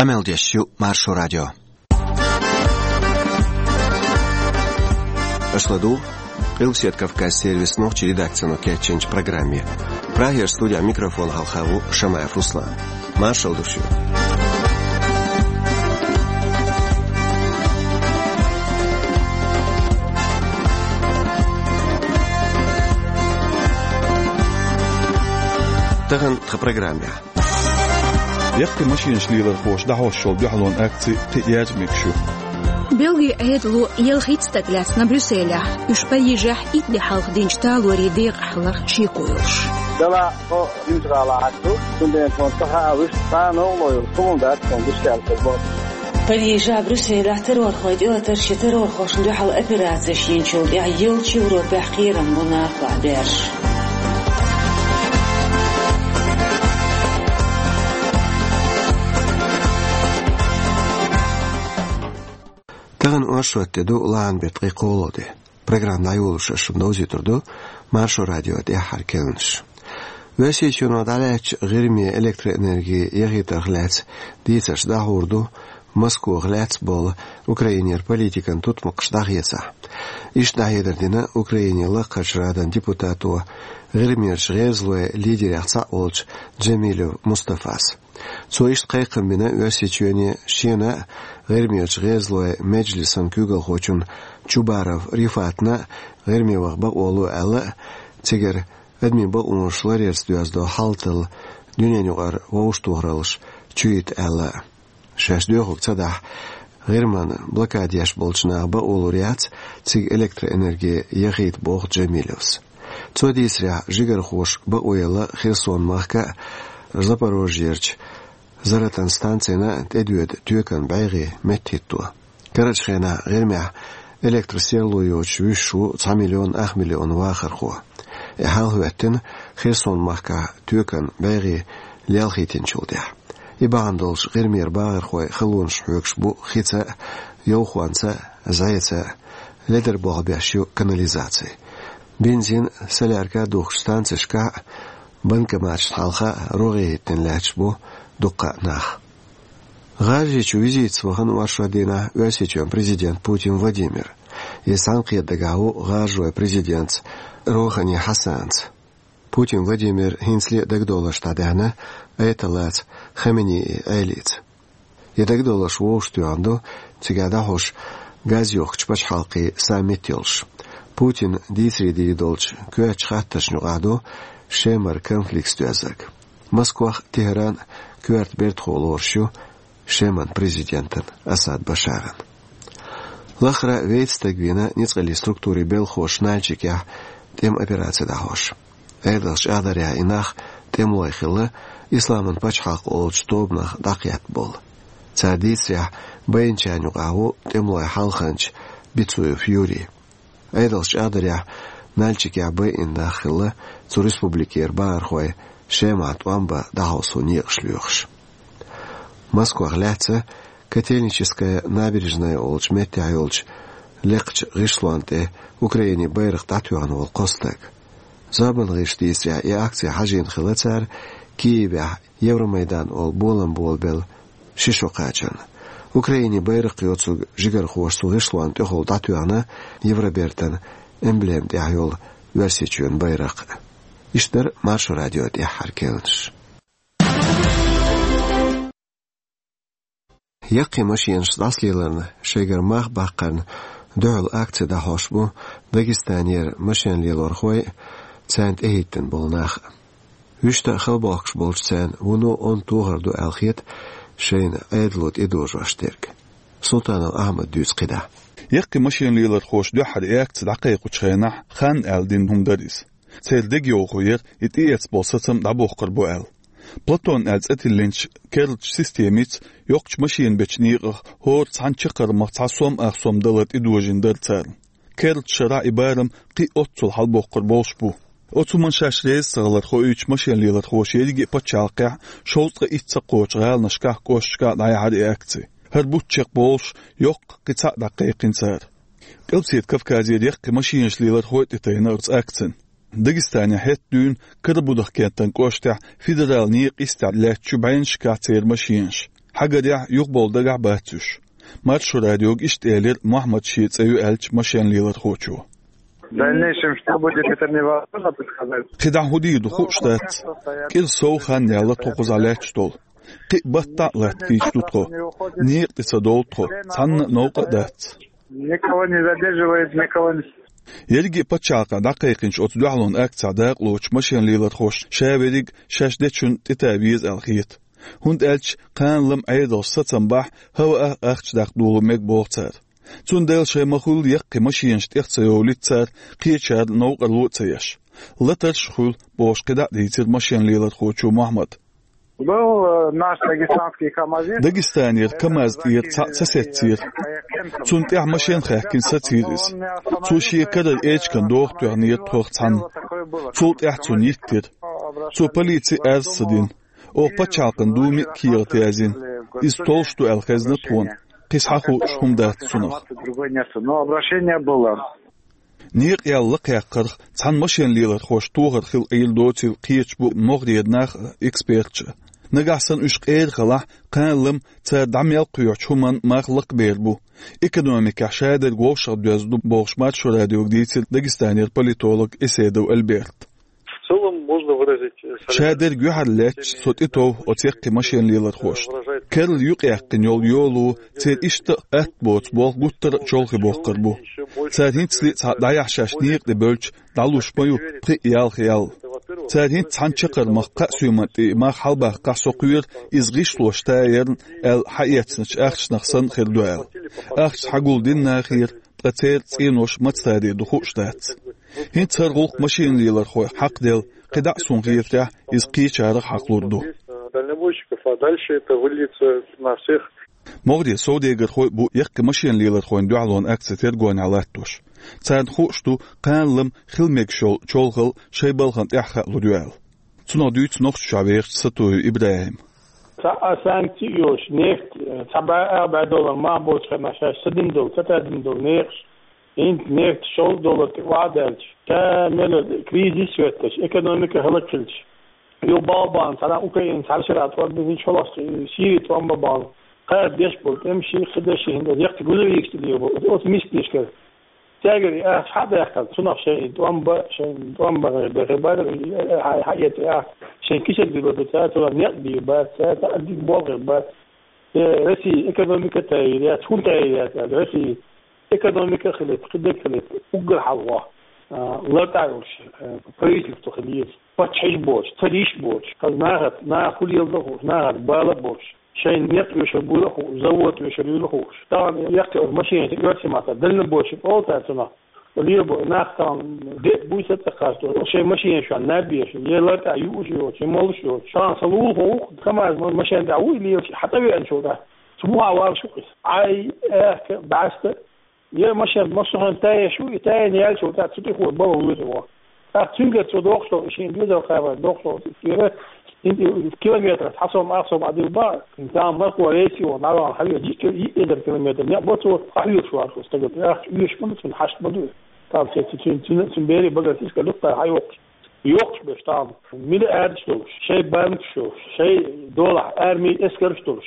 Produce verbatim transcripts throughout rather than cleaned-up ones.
Къамел деш ю Маршо радио. Аша ладугӀу Къилбаседа Кавказан сервисан нохчийн редакцино кечйинчу программе. Прагера студехь микрофон хьалха ву Шамаев Руслан. Маршалла ду шуьга. Тахана тхан программехь. Яккхий машенаш лелорхоша дӀахьош йолу дуьхьалонан акци кхин а яьржа мегаш ю. Бельгин Ӏедало ялхитта стаг лаьцна Брюсселехь, уьш Парижехь итт де хьалха динчу талорийн декъахь ларх шеко йолуш. Делахь тхо Римс-гӀалахь ду, цундела тхуна ца хаьа вуьшта цхьа а новкъарло йолуш хӀума дац тхуна дишкаьрца боху. Парижехь, Брюсселехь террорхойн тӀелатарш я террорхошна дуьхьал операцеш йинчул тӀаьхьа йолчу Европехь кхерам бу нахалахь берш. Тахана оршот де ду, лахьан беттан ткъе кхоалгӀа де. Программа дӀайолош ас шуна довзуьйтур ду Маршо радион тӀаьххьара керланаш. Оьрсийчоьно дӀалаьцначу ГӀирме электроэнерги яхийтарх лаьцна дийцарш дӀахьур ду, Москох лаьцна болу Украинера политикан тутмакхаш дӀахецахь. Иштта дӀахьедар дина Украинин Лакхарчу Радан депутато, ГӀирмерчу гӀезалойн лидерех цхьаъ волчу Джамилев Мустафас. Цо иштта кхайкхам бина Оьрсийчоьне, шена а, ГӀирмерчу гӀезалойн меджлисан куьйгалхочунна Чубаров Рифатна а ГӀирме ваха бакъо ло аьлла а, цигара адамийн бакъонаш ларъярца доьзна долу хьал тала дуьненаюкъара вовшахтохараллаш чуйита аьлла а. Шаьш доьхург ца дахь, ГӀирман блокада еш болчу наха бакъо лур яц цига электроэнерги яхийта, боху Джамилевс. Цо дийцарехь, жигархоша бакъо елла Херсон-махка а, Запорожьерчу Заратан станцина а тӀедоьду тоькан бӀегӀий меттахӀитто. Карарчу хенахь ГӀирмехь электросерло йоцуш вуьсуш ву цхьа миллион ах миллион вахархо. И хьал хӀоьттина Херсон-махкахь тоькан бӀегӀий лелхийтинчул тӀаьхьа. И бахьана долуш ГӀирмера бахархой халонаш хьоьгуш бу хица а, йовхонца а, зӀеца а, ледара болх беш ю канализаци. Бензин, солярка а духкучу станцешкахь а, банкоматашна хьалха а рогӀе хӀиттина лаьтташ бу дуккха а нах. ГӀажарийчу визитца вахана оршот дийнахь Оьрсийчоьнан президент Путин Владимир. Иза цхьаьнакхетар дагахь ву гӀажаройн президентца Рохани Хьасанца. Путин Владимир хӀинцале а дагадовларш дӀадаьхьна аятоллаца Хаменеи Ӏелица. И дагадовларш вовшахтоьхна ду, цигахь дӀахьош газйохкучу пачхьалкхийн саммит йолуш. Путина дийцаре дийр долчу коьртачу хаттаршна юкъахь ду Шемара конфликтаца доьззарг. Москох а, Тегеран а коьрта бертахо лоруш ю Шеман президентан Асад Башаран. Лахара вейтта стаг вийна ницкъаллин структурийн белхахоша Нальчикехь тӀеман операци дӀахьош. Ӏедалша чӀагӀдарехь, и нах тӀемалой хилла, Исламан пачхьалкх олучу тобанах дӀакхетта болу. Цара дийцарехь, байначарна юкъахь ву тӀемалойн хьалханча Бицуев Юрий. Ӏедалша чӀагӀдарехь, Нальчикехь байина нах хилла, цу республикера бахархой Шемахь тӀом бан дӀахьовсо некъаш лоьхуш. Москох лаьцна Котельническая набережная олучу меттехь йолчу лекхачу гӀишлонна тӀе Украинин байракх дӀатоьхна волу кхо стаг. Зорбанан гӀирсаша дийцарехь, и акци хьажийна хилла цара Киевехь Евромайдан олу болам болабелла ши шо кхачарна. Украинин байракх йоцург жигархоша цу гӀишлонна тӀехула дӀатоьхна Евробертан эмблема тӀехь йолу Оьрсийчоьнан байракх. Иштта дара Маршо радион тӀаьххьара керланаш. Яккхий машенаш дӀасалеларна шайгара мах баккхарна дуьхьал акци дӀахьош бу Дагестанера машен лелорхой а, царна тӀехӀиттина болу нах а. Вуьшта а хала бохкуш болчу царна вуно онда тохар ду аьлла хета шайна Ӏедало тӀедожош дерг. Султанов Ахьмада дуьйцу кхидӀа. Яккхий машен лелорхоша дуьххьара и акци дӀакхайкхучу хенахь, хан аьлла дина хӀума дара иза. Церан дегайовхо яра и тӀеэцна болу сацам дӀабохкур бу аьлла. Платон аьлла цӀе тиллинчу керлачу системица йоккхачу машина бечу некъах хӀора цхьана чаккхармах цхьа сом ах сом далар тӀедожийна дара царна. Керлачу шарахь и барам кхин а оццул хьалабоккхур болуш бу. Оцу хӀуманна шаьш реза ца хилар хоуьйтуш машен лелорхоша ерриге а пачхьалкхехь шовзткъе итт сакхочу гӀаланашкахь, кӀошташкахь дӀаяьхьира и акци. ХӀара бутт чекхболуш, йоккха кхин цхьаъ дӀакхайкхина цара. Къилбаседа Кавказера яккхий машенаш лелорхой а тӀетайна оцу акцина. Дагестанехь хӀетта дуьйна Карабудах-кентан кӀоштехь федералан некъа йистехь лаьттачу бӀеннашкахь церан машенаш. Ӏагарехь, юхабовла дагахь бац уьш. Маршо радиога иштта элира Мухьаммад шен цӀе ю аьллачу машен лелорхочо. В дальнейшем что будет, это мне невозможно предсказать. КхидӀа хӀун дийр ду хууш дац. КӀира сов хан яьлла тхо кхузахь лаьтташ долу. Кхин а баттахь а латта кийча ду тхо. Некъа тӀе ца довлу тхо, цхьанна а новкъа а дац. Никого не задерживает, никого не... Ерриге а пачхьалкхехь дӀакхайкхинчу оцу дуьхьалонан акцехь дакъалоцуш машен лелорхоша ша верриг шаьш дечунна тӀетан веза аьлла хета. ХӀунда аьлча кхана-лама Ӏедалша сацам бахь, хӀаваъа ахча даккха долу мега боху цара. Цундела шайн ма-хуьллу яккхий машенаш тӀех ца йовлийта цара, кхечара новкъарло а ца еш. Латарш а хуьлу, бохуш кхидӀа а дийцира машен лелорхочо Мухьаммада. Был, э, наш дагестанский КамАЗист. Дагестанера КамАЗ тӀера цхьаъ ца сецира. Цунна тӀехь машен хаьхкина сацийра иза. Цо шен карара эчиган дохко тоьхнера тхох цхьанна. Цул тӀаьхьа цунна йиттира. Цо полици арз ца дина. Оха пачхьалкхан думе а кехат язйина. Иза толлуш ду аьлла хезна тхуна. Кхин схьахууш хӀума дац цунах. Другой нету, но обращение было. Некъа ял лакхаяьккхарх цхьана машен лелорхоша тохар хила Ӏийр доцийла кхеташ бу могӀарера нах а, эксперташ а. Нагахь санна уьш къера хилахь, кхана-лама цара дӀа мел кхоьхьучу хӀуманна мах лакхабер бу. Экономикехь шадерг вовшах доьзна ду, бохуш Маршо радиога дийцира Дагестанера политолог Эседов Альберт. В целом можно выразить, э, солидарность. Шадерг юьхьарлаьцча со тӀетов оцу яккхий машен лелорхошна. Керла юкъаяьккхина йолу йолу церан иштта а атта боцу болх гуттар а чолхе боккхур бу. Цара хӀинцале а цхьа дӀаяхьа шаьш некъа тӀе бевлча, дӀалуш ма ю пхи а ялх ял. Цара хӀинца цхьана чаккхармах кхаа соьман тӀе и мах хьалабаккхахь, со кхоьру иза гӀишлош тайарна аьлла хьаэцначу ахчанах санна хир ду аьлла. Ахча схьагулдина нахера, ткъа церан цӀенош маца таре ду хууш дац. ХӀинца хӀара гӀуллакх машен лелорхойх хьакхаделла, кхидӀа а суна хетарехь, иза кхечарах хьакхалур ду. Дальнобойщиков, а дальше это выльется на всех. МогӀарера совдегархой а бу яккхий машен лелорхойн дуьхьалонан акци тергонехь латтош. Царна хууш ду, кхана-лама хила мегаш йолу чолхалла шайн балхана тӀехь хаалур ю аьлла. Цунах дуьйцу Нохчийчохь вехачу Сатуев ИбрахӀима. Цхьа а санкци а йолуш, нефть, цхьа бӀе а, бӀе доллар мах боцу хенахь шаьш ца дина долу, ца тадина долу некъаш, хӀинца нефть шовзткъа доллар тӀе охьа а даьлча, ша мел кризис хӀоьттича, экономика хӀаллакьхилча, ю балбан цхьана Украина цхьана шера тӀом бан, хӀинца хьалха Сири тӀом бан бахьана, кхаба деш болу тӀемаш, кхидерш, хӀинца яккхий грузовикаш тӀе лелабо, оцу миска дешкара. Цаьргара и ахча хьа а даьккхина, цунах шайн тӀом бан, шайн тӀом бан бехе бара, хьа, хьа эцу ахча шайн кисет билла ду цара, цунах некъ бийр бац цара, цхьа а дика болх бац. Э, Россия экономика тайр яц, хӀун тайр яц аьлла, Россия экономика хилийта, кхидерг хилийта, уггар хьалха, а, лартӀахь йолуш, а, правительство хила еза. Паччахьаш боцуш, цариш боцуш, хаза нахаца, наха хӀун леладо хууш, нахаца бала боцуш. Шайн некъ оьшур буйла а хууш, завод оьшур юйла а хууш. Тахана яккхий оцу машенаш оьрсийн маттахь дальнобойщик олу цара цунах. Лелабо нах тахана де а буй сацӀакхаш, шайн машенаш чохь наб еш, е лартӀахь юуш йоцуш, е молуш йоцуш. Тахана сан лулахо ву-кх, КамАЗ машен тӀехь вуй лелаш, хьатӀавеана шуна тӀехь. Цу муха валаш ву-кх иза. Ӏай, аьхка, бӀаьста. Я машен массо а хӀума тайеш ву, и тайна яьллачул тӀаьхьа цу тӀехула бала вуьйр ву. ТӀаккха цуьнгара цо дохуш долу, и шен доьзал кхаба дохуш долу, цуьнгара километрах цхьа сом, ах сом Ӏа дилла бан, цхьана мархо рейс йолу, нагахь хьавеъча, йиъ эзар километр некъ бо цо, къахьоьгуш вац стага. Ахча оьшуш ма ду цунна, хьашт ма ду. Тахана цуьнан, цуьнан, цуьнан берийн багара сискал юккъехь хьайоккхуш. Йоккхуш берш тахана. Миллиардаш долуш, шайн банкаш йолуш, шайн долахь арми, эскарш долуш.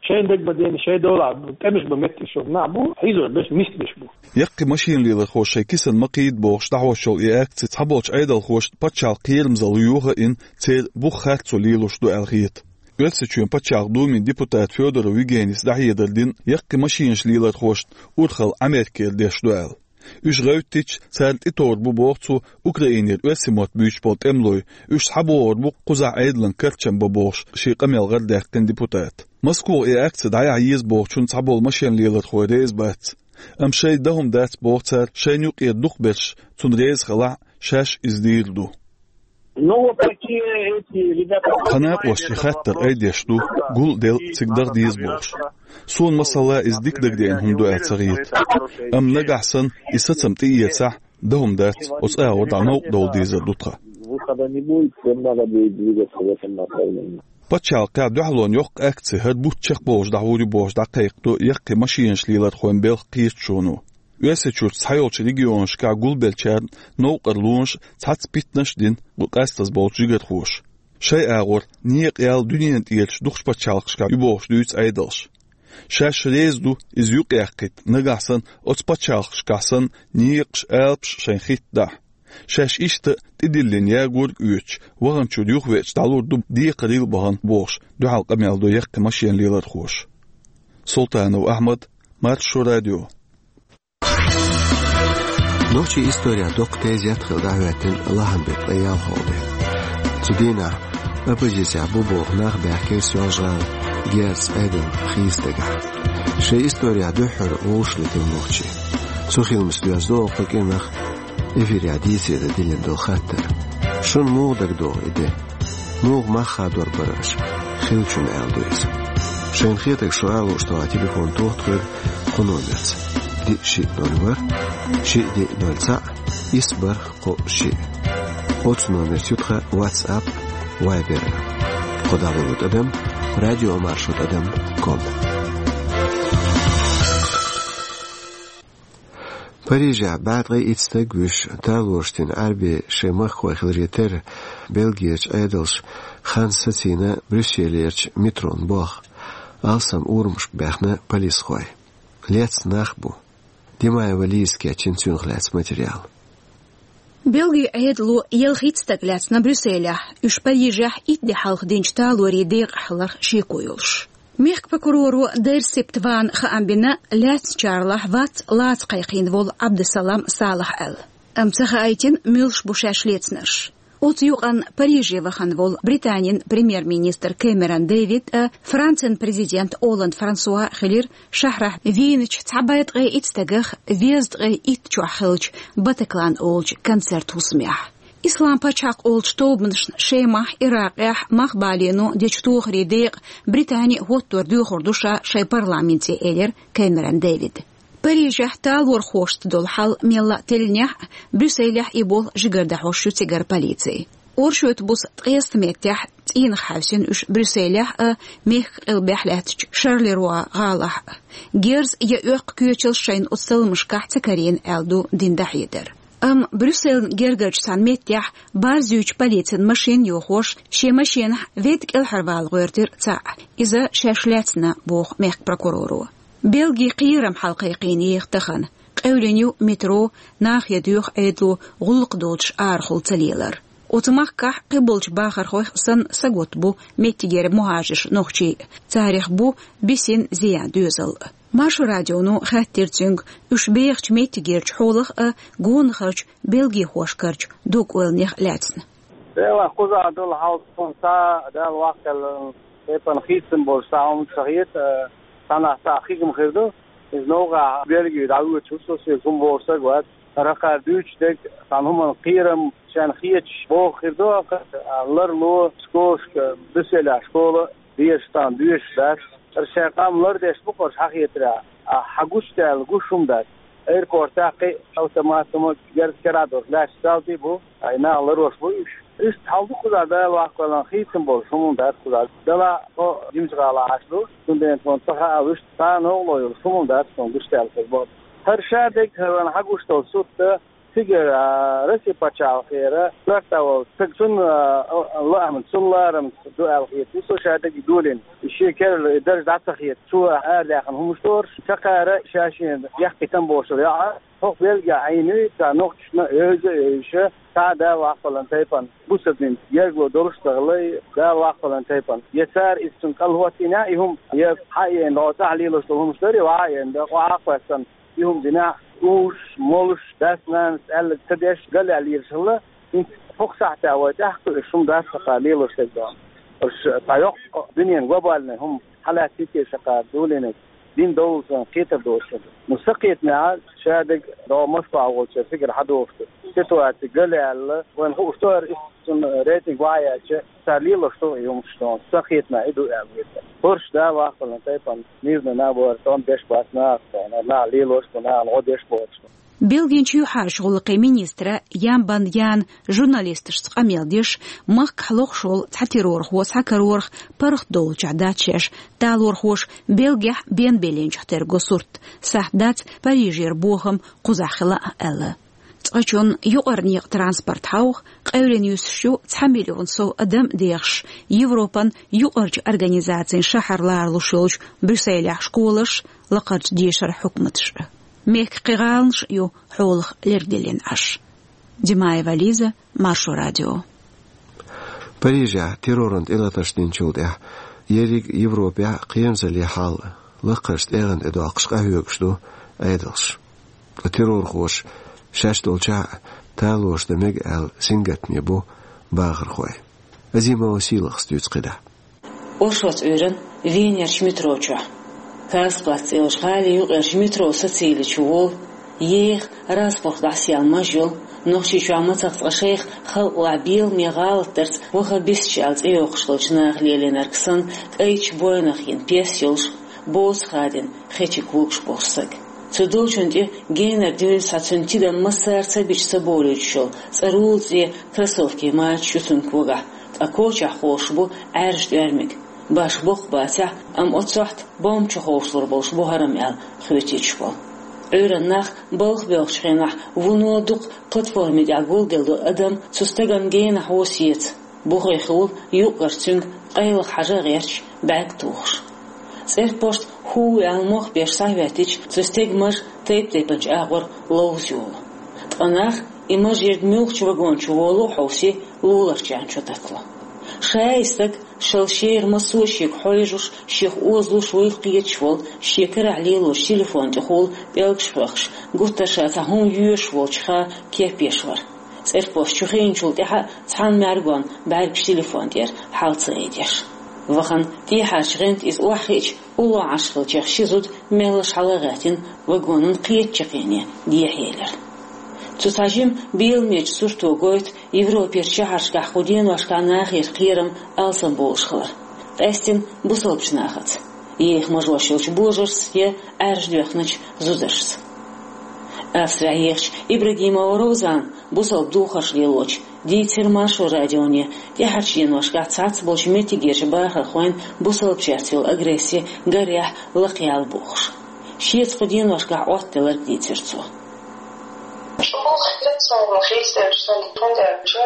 Шайн дагадеана, шайн долахь тӀемаш бан меттигаш йолу нах бу, хьийзор берш, миска берш бу. Яккхий машен лелорхоша шайн кисан ма кхийда бохуш дӀахьош йолу и акци цхьаболчу Ӏедалхошна пачхьалкхан кхерамзалла юха а йина, церан бух харцо лелош ду аьлла хета. Оьрсийчоьнан пачхьалкхан думин депутата Федоров Евгенийс дӀахьедар дина, яккхий машенаш лелорхошна урхалла Америкера деш ду аьлла. Уьш гӀевттича, царна тӀетовр бу, боху цо, Украинера оьрсийн мотт буьйцуш болу тӀемалой, уьш схьабогӀур бу кхузахь Ӏедалан карчам бан, бохуш, шен къамел гӀарадаьккхина депутата. Москвахь и акци дӀаяхьа еза бохучунна цхьаболу машен лелорхой реза бац. Амма шайн дан хӀума дац, боху цара, шайна юкъера дукхахберш, цунна реза хилахь а, шаьш иза дийр ду. Ну, вот такие эти ребята. Тхан накъостий хаттар айдеш ду, гул а делла, цига даха деза бохуш. Суна, масала, иза дика дагадеана хӀума ду аьлла ца хета. Амма нагахь санна и сацам тӀеэцахь, дан хӀума дац, оцу агӀор дӀа новкъа довла дезар ду тхан. Выхода не будет, всем надо будет двигаться в этом направлении. Пачхьалкхехь дуьхьалонан йоккха акци хӀара бутт чекхбовлуш дӀахьур ю бохуш дӀакхайкхадо яккхий машенаш лелорхойн белхан кхеташоно. Оьрсийчуьрчу цхьайолчу регионашкахь гулбеллачарна новкъарлонаш а, цхьацца питанаш а дина бу къастаза болчу жигархоша. Шайн агӀор некъа ял дуьненан тӀерачу дукхачу пачхьалкхашкахь ю бохуш дуьйцу Ӏедалша. Шаьш реза ду иза юкъаяьккхийта, нагахь санна оцу пачхьалкхашкахь санна некъаш, алапаш шайна хӀиттадахь. Шаьш иштта а тӀедиллина ягорг оьцуш, ваханчуьра юхавеача дӀалур ду декхарийла бахана бохуш, дуьхьал къамел до яккхий машенан лелорхоша. Султанов Ахьмад, Маршо радио. Нохчийн исторехь доккха тезет хилла дӀахӀоьттина лахьан беттан ткъе ялхалгӀа де. Цу дийнахь оппозицехь бу боху нах баьхкира Соьлжа-ГӀала герзаца Ӏедална хийцадагахь. Шайн исторехь дуьххьара вовшахтоьхна нохчий. Цу хиламца доьзна ду кху кӀиранах эфирехь дийцаре дан диллина долу хаттар. Шуна муха дагадогӀу и де? Муха мах хадор бара аша? Хиллачунна аьлла ду иза. Шайна хетарг шу алуш тован телефон тоха тхоьга кху номерца: диъ шиъ ноль ворхӀ, шиъ диъ ноль цхьаъ, исс бархӀ кхоъ шиъ. Оцу номерца ю тхан WhatsApp, Viber. Кху дӀаваллалц тӀадам, радиомаршо тӀадам ком. Парижехь бӀе ткъе итт стаг вуьйш, талораш дина Ӏаьрбийн шайн махкахой хиларе терра, Бельгерчу Ӏедалша хан сацийна Брюсселерчу метрон болх, алсам урамашка баьхна полисхой. Лецна нах бу. Димаева Лиза кечйина цунах лаьцна материал. Бельгин Ӏедало ялхитта стаг лаьцна Брюсселехь, уьш Парижехь итт де хьалха динчу талорийн декъахь хиларх шеко йолуш. Мехкан прокуроро Дерсипт Вана хаам бина, лаьцначарлахь вац лаца кхайкхийна волу Ӏабдусалам Салах аьлла. Амма ца хаийтина, муьлш бу шаьш лецнарш. Оцу юкъанна Париже вахана волу Британин премьер-министр Кэмерон Дэвид а, Францин президент Олланд Франсуа а хилира шахьарахь вийначу цхьа бӀе ткъе итт стагах везткъе итт чохь хиллачу Батаклан олучу концерт хӀусамехь. Ислам пачхьалкх олучу тобанашна Шемахь, Иракъехь мах балийна дечу тохарийн декъа Британи хӀоттор доьхур ду ша шайн парламенте, элира Кэмерон Дэвида. Парижехь талорхошца долу хьал мелла а теллинехь а, Брюсселехь и болх жигара дӀахьош ю цигара полици. Оршотан буса ткъеста меттехь цӀийнах хьаьвсина уьш Брюсселехь а, мехкан къилбехь лаьттачу Шарлеруа гӀалахь а. Герз я оьккху коьчалш шайна оцу талламашкахь ца карийна аьлла ду дина дӀахьедар. Амма Брюсселна гергарчу цхьана меттехь барз юьйцучу полицин машина йохош, шен машинахь ведда кӀелхьарвала гӀоьртира цхьаъ. Иза шаьш лаьцна, боху мехкан прокуроро. Бельги кхерам хьалакхайкхийна еха тахана. Къевлина ю метро, нах я доьху Ӏедало гӀуллакх доцуш арахула ца лелар. Оцу махкахь кхиболчу бахархойх санна сагатта бу меттигера мухӀажарш, нохчий. Царах бу бисина зиян доьзал. Маршо радионо хаьттира цуьнга уьш бехачу меттигерчу хьолах а, гонахарчу бельгихошкарчу дог-ойланех а лаьцна. Делахь кхузахь долу хьал тхуна схьа Дала ваккхал тайпана хийцам болуш схьа хӀума ца хета, цхьанхьа схьа хигам хир ду. Иза новкъахь Бельгию дӀавоьдуш ву со, соьга хӀума вогӀуш стаг вац. Ракхара дуьйцуш дерг, цхьана хӀуманна кхерам шайна хеташ боху хир ду, ларло школашка, Брюсселехь школа дезаш цхьана доьшуш дац. Цара шайн къам лардеш бу, кхуьш хьан хетарехь, а, хьан гучудаьлла гуш хӀума дац. Аэропортехь кхин а автоматом герз керахь долуш лаьтташ далтий бу, ай нах ларош бу уьш. Иштта хьал ду кхузахь Дала ваккхалан хийцам болуш хӀума дац кхузахь. Делахь тхо жимачу гӀалахь Ӏаш ду, цундела тхуна ца хаалуш, цхьа новкъарло йолуш хӀума дац тхуна гучудаьлла хир боху. ХӀара шадерг, хӀара вайн хьан гуш долу сурт ду, цигара, а, Россия пачхьалкхера коьрта волу стаг, цунна, а, лаамца, цунна ларамца ду аьлла хета, ву со шадерг долийна. И шен керла и дарж дӀа ца хета, цо арадаьхна хӀумаш дора, ша кхара ша шена яхкхийтина бохуш йоӀ. ХӀокху Бельгехь Ӏийна ю, цхьа нохчашна а, евза а евзаш, цхьа а Дала ваккхалан тайпана бусалба динца гергарло долуш а ца хилла, Дала ваккхалан тайпана. Я цара иза цунна кӀалхӀоттийна и хӀума, я хьаеана дӀо цӀахь лелош долу хӀумаш дара, я ваха а еана, я къа а кхоьссина, и хӀума динехь, уьш, молуш, дас-нанас аьлларг ца деш, галъяьлла лелаш хилла, хӀинца хӀокху сахьтехь вай тӀаьхьа кхуьуш хӀума дац ша кхара лелош дерг дона. Уьш цхьа йоккха дуьненан глобальный хӀума хьалаьцна ца хилла ша кхара долийна, дин довлу санна кхетар доцуш. Ну, сан кхетамехь, шадерг дӀо Москвахь волчеран фигара хьан дохуш ду. Ситуаци галъяьлла, вайна хууш ду хӀара, иштта цуьнан рейтинг ваха яьлча, цара лелош ду и хӀумаш дона, сан кхетамехь и ду аьлла веза. ХӀорш Дала ваккхалан тайпана мирный набор тӀом беш бац нахаца, нах лелош бу, нахана гӀо деш боцуш бу. Бельгин чоьхьарчу гӀуллакхийн министра Ямбан Яна журналисташца къамел деш, махкахь лохуш волу цхьа террорхо схьакарорах паргӀатдовлучохь дац шаьш талорхоша Бельгехь бен беллинчух терго сурт, сахьт дац Парижера бохам кхузахь хила а аьлла. Цкъачунна юкъара некъа транспорт хьовха къевлина юьсуш ю цхьа миллион сов адам а дехаш, Европан юкъарчу организацийн шахьар ларалуш йолчу Брюсселехь школаш а, лакхарчу дешаран хьукматаш а. Мехкан кхин гӀаланаш а ю хьолах лергделлина Ӏаш. Димаева Лиза, Маршо радио. Парижехь терроран тӀелатарш динчул тӀаьхьа ерриг Европехь кхерамзаллин хьал лакхарчу тӀегӀан тӀе доккхуш къахьоьгуш ду Ӏедалш. Ткъа террорхоша шаьш долчохь а талораш дан мега аьлла сингаттаме бу бахархой. Азимова Сийлахьас дуьйцу кхидӀа. Оршоц Ӏуьйранна Венерчу метро чохь. Карстплац цӀе йолчу гӀалин юкъерчу метро сацилли чу волу, еха, разпах дӀасаяьлла маж йолу, Нохчийчохь мацах цкъа шайх халкъалахь беламе гӀалатдарца ваха бисча аьлла цӀе йоккхуш долчу наха лелийнарг санна, кӀайчу бойнах йина пес йолуш, боцу хадина хечиг вугуш болуш саг. Цу долчунна тӀе генара дуьйна схьа цуьнан тидам массара ца бича ца болуьйтуш йолу цӀарула цӀе кроссовки мачаш ю цуьнга вагахь, ткъа кочахь ховшуш бу Ӏаьржа тӀоьрмиг. Баш боккха бацахь, амма оццу сохьта бомба чу ховшалур болуш бу хӀара-м аьлла хоьтуьйтуш болу. Ӏуьйранна нах балха боьлхучу хенахь вуно дукха платформи тӀехь гулделла долу адам цу стагана генахь ву сеца. Бухе хилла юккъерчу цуьнга къайлаха хьажа а гӀерташ, бӀаьрг тухуш. ЦӀерпошта хӀу аьлла мох беш схьахӀоьттича, цу стеган маж тайп-тайпанчу агӀор ловза йолу. Ткъа нах и маж ерг муьлххачу вагон чу волу а хьовсий, лулахчарна чу таттало. Ша и стаг шал шера массо а шега хьожуш, шех озалуш вуйла кхеташ волу, шен карахь лелочу телефон тӀехула пӀелгаш хьоькхуш, гуттар ша цхьа хӀума йоьшуш волчуха кеп еш вара. ЦӀерпошта чу хиъначул тӀаьхьа цхьана мӀаьргонна бӀаьргаш телефон тӀера хьала ца айдеш. Вахана тӀехьарчу гӀанта иза охьахиъча, уллохь Ӏаш хиллачех ши зуда меллаша хьала а гӀаьттина, вагонан кхечу чаккхене дехьаелира. Цу цхьа жима беламечу сурто гойту Европерчу шахьаршкахь кху деношкахь нахера кхерам алсам болуш хилар. Къаьстина бусалбачу нахаца. Еха мажош йолчу божаршца я Ӏаьржа доьхначу зударшца. Австрехь ехачу Ибрагимова Розана бусалба духарш лелочу дийцира Маршо радионе, тӀаьхьарчу деношкахь цхьацца болчу меттигерчу бахархойн бусалбачаьрца йолу агресси гарехь лакхаяьлла бохуш. Шеца кху деношкахь Ӏоттаделларг дийцира цо. ЧӀогӀа хетара цунна хьийсдерш санна, хӀунда аьлча,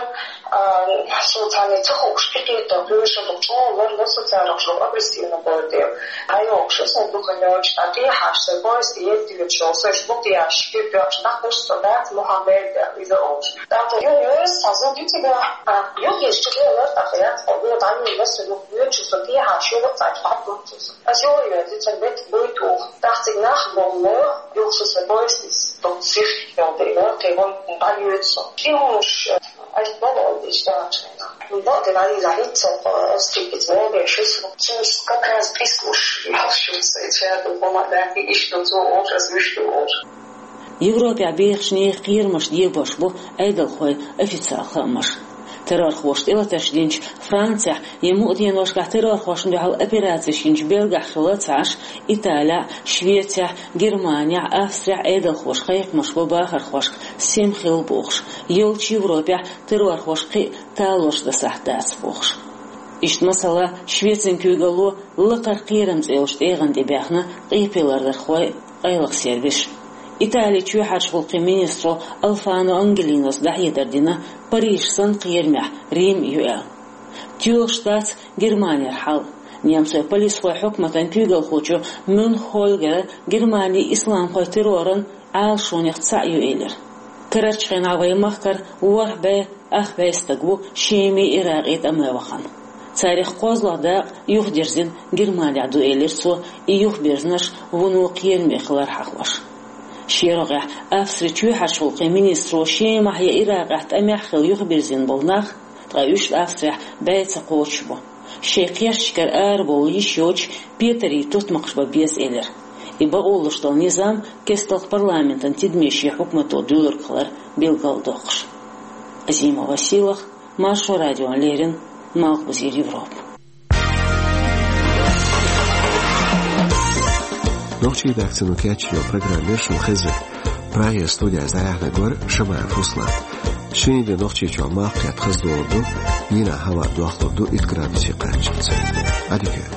а, со царна ца хууш, кхин кхетта хьоьжуш ду, чӀогӀа ларло со царах, чӀогӀа агрессивно бу дела. ӀайогӀуш ю сан дукха йоцуш, ткъа тӀехьа ша сайн поезд едда йоьдуш йолу, сан шуьга тӀехьа ши кеп йоккхуш дӀахуш, со дац Мухаммед аьлла, иза олуш. ТӀаккха юха йоьрзу цхьа зуда ю цигахь, а, юха еш чу лелара, тӀаккха яц хьо, юха дӀайолла со, юха йоьдуш со тӀехьа, шуьга цхьаьна дӀахуьттуш. Аса юха йоьрзу, цуьнан бетта буй туху. ТӀаккха цига нах боху, юха со сайн поезд дукха сих йолу дела, кхин вон дӀайоьду со. Кхин хӀумаш, Ай, бакъ ду, иштта хьуна. Бакъдерг Ӏайла хӀинца, э, стикица вогӀуш, цуьнца как раз прислушивался, церан помогать, иштта цо олуш, ас вуьшта олуш. Европехь бехачу нехан кхерамаш дебош бу Ӏедалхойн официал хаамаш. Террорхоша тӀелатарш динчу Францехь я мукъа деношкахь террорхошна дуьхьал операцеш йинчу Бельгехь хилла ца Ӏаш, Италехь, Швецехь, Германехь, Австрехь Ӏедалхоша кхайкхамаш бо бахархошка сема хилла бохуш, йолчу Европехь террорхоша кхин а талораш дасахь дац бохуш. Иштта, масала, Швецин куьйгалло «Лакхара кхерам» цӀе йолчу тӀегӀан тӀе баьхна къепе лардархой, къайлаха сервисаш. Италин чоьхьарчу гӀуллакхийн министро Алфано Ангелинос дӀахьедар дина, Париж санна кхерамехь Рим ю аьлла. Тоьлуш дац Германера хьал. Немцойн полисхойн хьукматан куьйгалхочо Мюнххольгера Германи исламхойн терроран Ӏалашонех цхьаъ ю элира. Карарчу хенахь вайн махкара ворхӀ бӀе ах бӀе стаг ву Шемин, Иракъин тӀаме вахана. Царах кхозлагӀа дакъа юхадирзина Германехь ду элира цо, и юхабирзинарш вуно кхераме хилар хьахош. Шен рогӀехь Австрин чоьхьарчу гӀуллакхийн министро Шемахь я Иракъехь тӀамехь хилла юхабирзина болу нах, ткъа уьш Австрехь бӀе ца кхочуш бу. Шайн кхерчашкара арабовла йиш йоцуш, петарийн тутмакхаш бан беза элира. И бакъо луш долу низам кестта парламентан тидаме шен хьукмато дуьйлург хилар билгалдоккхуш. Азимова Сийлахь, Маршо радиона леррина, Малхбузера Европа. Нохчийн редакцино кечйина программа яра шуна хезнарг. Прагера студехь дӀаяьхьнарг вара Шамаев Руслан. Шинарин де Нохчийчохь малх кхетта хаза долур ду, дийнахь хӀаваъ дохлур ду итт градусе кхаччалц. Ӏадика.